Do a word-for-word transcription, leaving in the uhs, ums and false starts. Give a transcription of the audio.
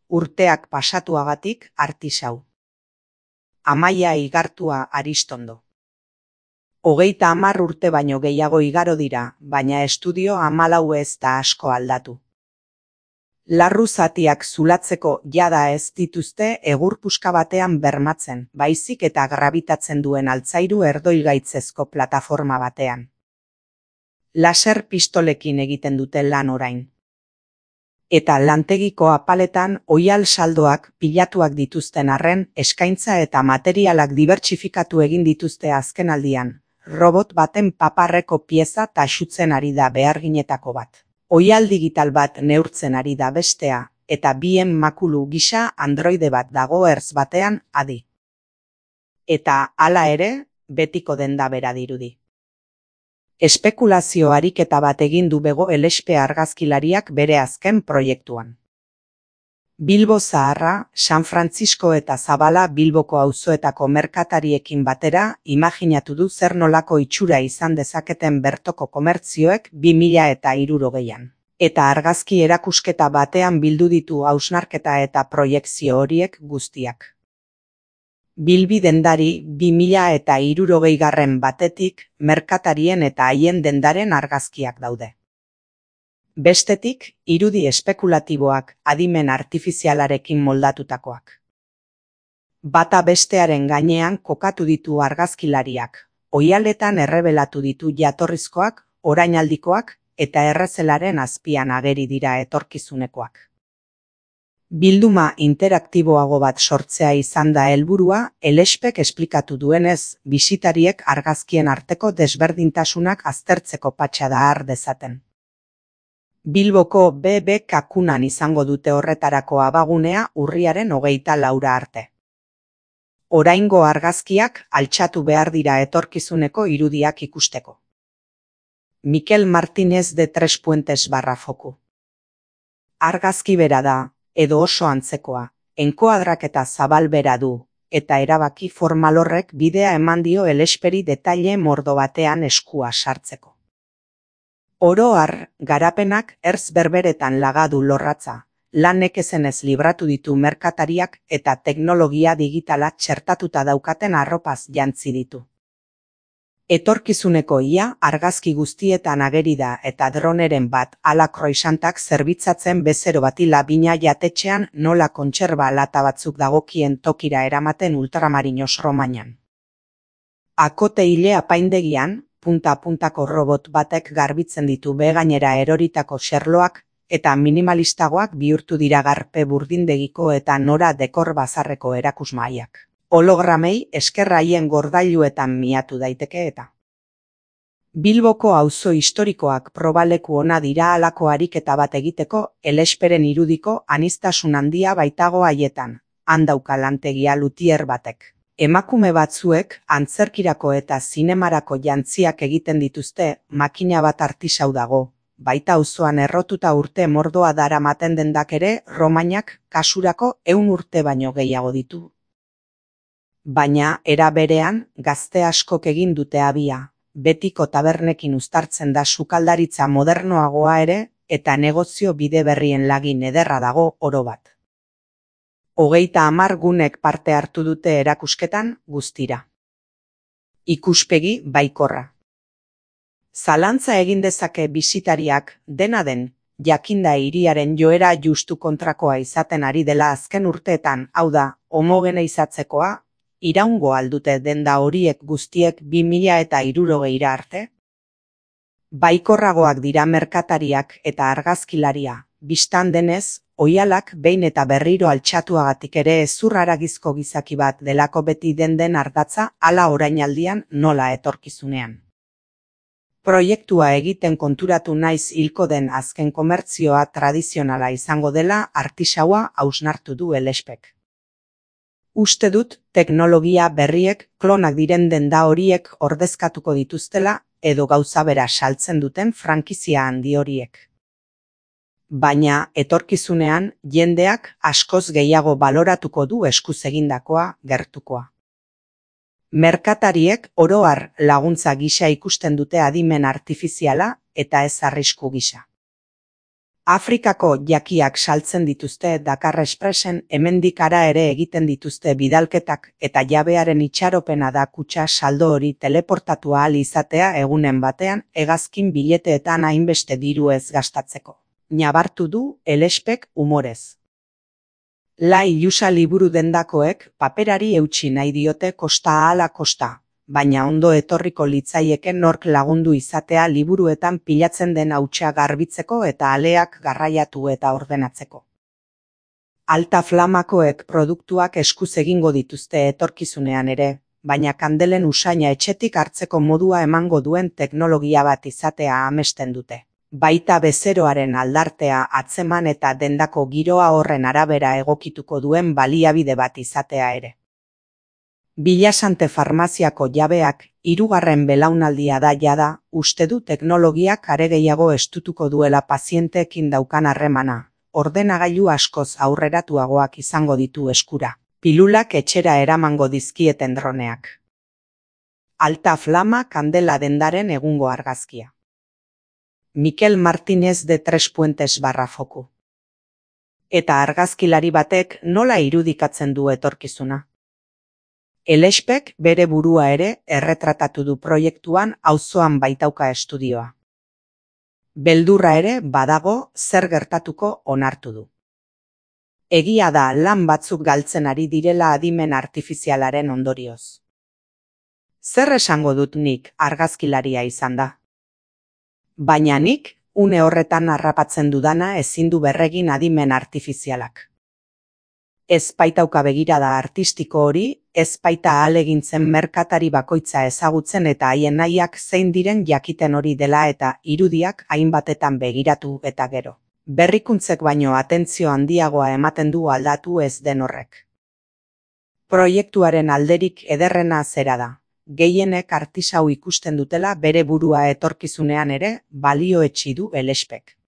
urteak pasatuagatik artisau. Amaia Igartua Aristondo. Hogeita hamar urte baino gehiago igaro dira, baina estudio hamalau ez da asko aldatu. Larru zatiak zulatzeko jada ez dituzte egur puska batean bermatzen, baizik eta grabitatzen duen altzairu erdoilgaitzezko plataforma batean. Laser pistolekin egiten dute lan orain. Eta lantegiko apaletan oihal saldoak pilatuak dituzten arren, eskaintza eta materialak dibertsifikatu egin dituzte azkenaldian. Robot baten paparreko pieza taxutzen ari da beharginetako bat. Oihal digital bat neurtzen ari da bestea, eta bien makulu gisa androide bat dago ertz batean adi. Eta hala ere, betiko denda bera dirudi. Espekulazio ariketa bat egin du Bego Elespe argazkilariak bere azken proiektuan. Bilbo Zaharra, San Francisco eta Zabala Bilboko auzoetako merkatariekin batera imaginatu du zer nolako itxura izan dezaketen bertoko komertzioek bi mila eta hirurogeian. Eta argazki erakusketa batean bildu ditu hausnarketa eta proiekzio horiek guztiak. Bilbi dendari bi mila eta hirurogeigarren batetik merkatarien eta haien dendaren argazkiak daude. Bestetik, irudi espekulatiboak adimen artifizialarekin moldatutakoak. Bata bestearen gainean kokatu ditu argazkilariak, oihaletan errebelatu ditu jatorrizkoak, orainaldikoak eta errezelaren azpian ageri dira etorkizunekoak. Bilduma interaktiboago bat sortzea izan da helburua, Elespek esplikatu duenez, bisitariek argazkien arteko desberdintasunak aztertzeko patxada har dezaten. Bilboko B B Kakunan izango dute horretarako abagunea urriaren hogeita laura arte. Oraingo argazkiak altxatu behar dira etorkizuneko irudiak ikusteko. Mikel Martínez de Tres Puentes barra foku. Argazki bera da, edo oso antzekoa, enkoadrak eta zabal bera du, eta erabaki formal horrek bidea eman dio Elesperi detaile mordo batean eskua sartzeko. Oro har, garapenak ertz berberetan lagadu lorratza, lan nekezenez libratu ditu merkatariak eta teknologia digitala txertatuta daukaten arropaz jantzi ditu. Etorkizuneko ia argazki guztietan ageri da eta droneren bat ala kroisantak zerbitzatzen bezero bati labina jatetxean nola kontserba lata batzuk dagokien tokira eramaten ultramarinos Romainan. Akote ile apaindegian, punta-puntako robot batek garbitzen ditu begainera eroritako xerloak eta minimalistagoak bihurtu dira garpe burdindegiko eta nora dekor bazarreko erakusmaiak. Hologramei esker haien gordailuetan miatu daiteke eta. Bilboko auzo historikoak probaleku ona dira halako ariketa bat egiteko Elesperen irudiko aniztasun handia baitago haietan, handauka lantegia lutier batek. Emakume batzuek antzerkirako eta zinemarako jantziak egiten dituzte, makina bat artisau dago, baita auzoan errotuta urte mordoa daramaten dendak ere Romainak kasurako ehun urte baino gehiago ditu. Baina, era berean, gazte askok egin dute abia, betiko tabernekin uztartzen da sukaldaritza modernoagoa ere, eta negozio bide berrien lagin ederra dago oro bat. Hogeita hamar gunek parte hartu dute erakusketan guztira. Ikuspegi baikorra. Zalantza egin dezake bisitariak, dena den, jakinda hiriaren joera justu kontrakoa izaten ari dela azken urteetan, hau da, homogeneizatzekoa, iraungo aldute denda horiek guztiek bi mila eta hirurogeira arte? Baikorragoak dira merkatariak eta argazkilaria, bistan denez, oihalak behin eta berriro altxatuagatik ere ezur haragizko gizaki bat delako beti den den ardatza hala orainaldian nola etorkizunean. Proiektua egiten konturatu naiz hilko den azken komertzioa tradizionala izango dela artisaua hausnartu du Elespek. Uste dut teknologia berriek klonak diren denda horiek ordezkatuko dituztela edo gauza bera saltzen duten frankizia handi horiek. Baina etorkizunean jendeak askoz gehiago baloratuko du eskuz egindakoa gertukoa. Merkatariek oro har laguntza gisa ikusten dute adimen artifiziala eta ez arrisku gisa. Afrikako jakiak saltzen dituzte Dakar Expressen, hemendik hara ere egiten dituzte bidalketak, eta jabearen itxaropena da kutxa saldo hori teleportatu ahal izatea egunen batean hegazkin bileteetan hainbeste diru ez gastatzeko. Nabartu du Elespek umorez. La ilusa liburu dendakoek paperari eutsi nahi diote kosta ahala kosta, baina ondo etorriko litzaieken nork lagundu izatea liburuetan pilatzen den hautsa garbitzeko eta aleak garraiatu eta ordenatzeko. Alta Flamakoek produktuak eskuz egingo dituzte etorkizunean ere, baina kandelen usaina etxetik hartzeko modua emango duen teknologia bat izatea amesten dute. Baita bezeroaren aldartea atzeman eta dendako giroa horren arabera egokituko duen baliabide bat izatea ere. Bilasante farmaziako jabeak, hirugarren belaunaldia da jada, uste du teknologiak are gehiago estutuko duela pazienteekin daukan harremana, ordenagailu askoz aurreratuagoak izango ditu eskura, pilulak etxera eramango dizkieten droneak. Alta Flama kandela dendaren egungo argazkia. Mikel Martínez de Tres Puentes barra foku. Eta argazkilari batek nola irudikatzen du etorkizuna? Elespek bere burua ere erretratatu du proiektuan auzoan baitauka estudioa. Beldurra ere badago zer gertatuko onartu du. Egia da lan batzuk galtzen ari direla adimen artifizialaren ondorioz. Zer esango dut nik argazkilaria izan da? Baina nik, une horretan harrapatzen dudana ezin du berregin adimen artifizialak. Ez baitauka begirada artistiko hori, ez baita ahalegintzen merkatari bakoitza ezagutzen eta haien nahiak zein diren jakiten hori dela eta irudiak hainbatetan begiratu eta gero. Berrikuntzek baino atentzio handiagoa ematen du aldatu ez den horrek. Proiektuaren alderik ederrena zera da. Gehienek artisau ikusten dutela bere burua etorkizunean ere balioetsi du Elespek.